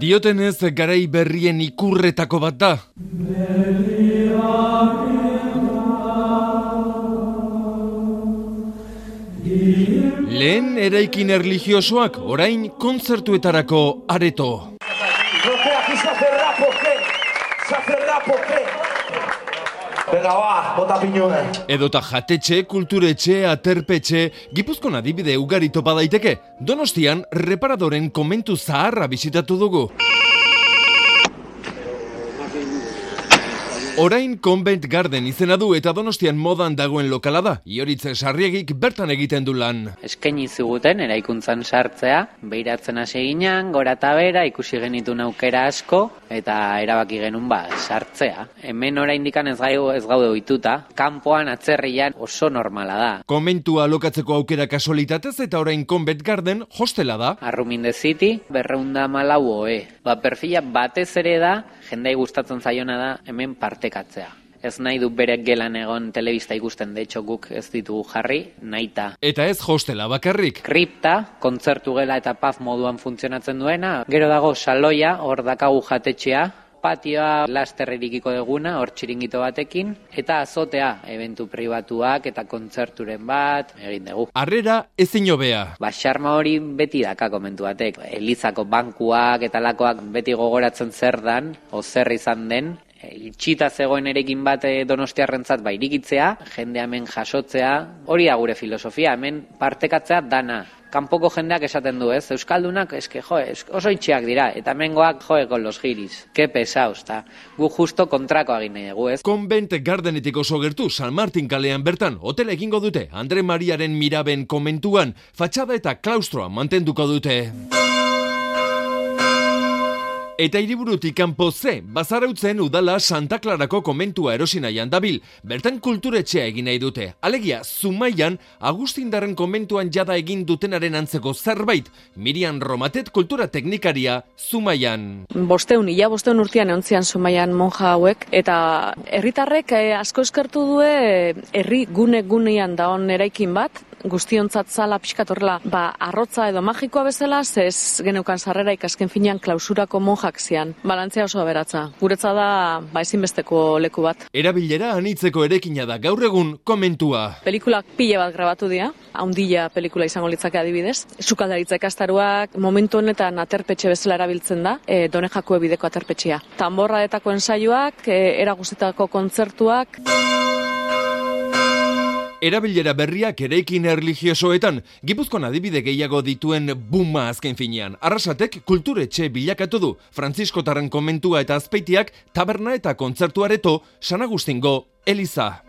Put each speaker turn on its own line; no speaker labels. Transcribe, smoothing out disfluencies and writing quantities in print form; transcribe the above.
Diotenez, garai berrien ikurretako bat da. Lehen eraikin erlijiosoak, orain kontzertuetarako areto. Edota jatetxe, kulturetxe, aterpetxe, Gipuzkoan adibide ugari topa daiteke. Donostian, reparadoren komentu zaharra bisitatu dugu. Orain Convent Garden izena du eta Donostian modan dagoen lokala da. Ioritz Sarriegik bertan egiten du lan.
Eskaini ziguten eraikuntzan sartzea, behiratzen hasi ginen, gora eta bera, ikusi genitun aukera asko eta erabaki genuen sartzea. Hemen oraindik ez gaude ohituta, kanpoan atzerrian oso normala da.
Komentua alokatzeko aukera kasualitatez eta orain Convent Garden hostela da.
Arrumin the City, 214 OE. Perfila batez ere da, jendei gustatzen zaiona da hemen partekatzea. Ez nahi du berek gelan egon telebista ikusten, de hecho guk ez ditugu jarri, nahita.
Eta ez hostela bakarrik.
Kripta, kontzertu gela eta paz moduan funtzionatzen duena. Gero dago saloia, hor dakagu jatetxea, patioa laster irikiko duguna, hor txiringito batekin, eta azotea, eventu pribatuak eta kontzerturen bat, egin dugu.
Harrera ezin hobea.
Xarma hori beti daka komentu batek. Elizako bankuak eta lakoak beti gogoratzen zer dan, o zer izan den, itxita zegoen erekin bat donostiarrentzat irikitzea, jende hemen jasotzea, hori da gure filosofia, hemen partekatzea dana. Kanpoko jendeak esaten du, ez? Euskaldunak, oso itxiak dira, eta hemengoak, con los giris. Ke pesaos, ta. Gu justo kontrako egin nahi dugu, ez?
Convent Gardenetik oso gertu, San Martin kalean bertan, hotela egingo dute, Andre Mariaren Miraben komentuan, fatxada eta klaustroa mantenduko dute. Eta hiriburutik kanpo ze, Bazarautzen udala Santa Clarako komentua erosi nahian dabil, bertan kulturetxea egin nahi dute. Alegia, Zumaian, Agustindarren komentuan jada egin dutenaren antzeko zerbait, Miriam Romatet kultura teknikaria Zumaian.
500 urtean eontzian Zumaian monja hauek, eta herritarrek asko eskertu due herri gunean daon eraikin bat, guztiontzat zala pixkat horrela, arrotza edo magikoa bezala, ez geneukan sarrera ikasken finean klausurako monjak zian. Balantzea oso aberatza. Guretza da ezinbesteko leku bat.
Erabilera anitzeko erekina da gaur egun komentua.
Pelikulak pile bat grabatu dira, haundila pelikula izango litzake adibidez. Sukaldaritza ikastaruak momentu honetan aterpetxe bezala erabiltzen da, Donejako bideko aterpetxea. Tanborradetako ensaioak, era guztietako kontzertuak.
Erabilera berriak eraikin erlijiosoetan, Gipuzkoan adibide gehiago dituen buma azken finean. Arrasatek kulturetxe bilakatu du, Frantziskotarren komentua eta azpeitiak taberna eta kontzertu areto San Agustingo eliza.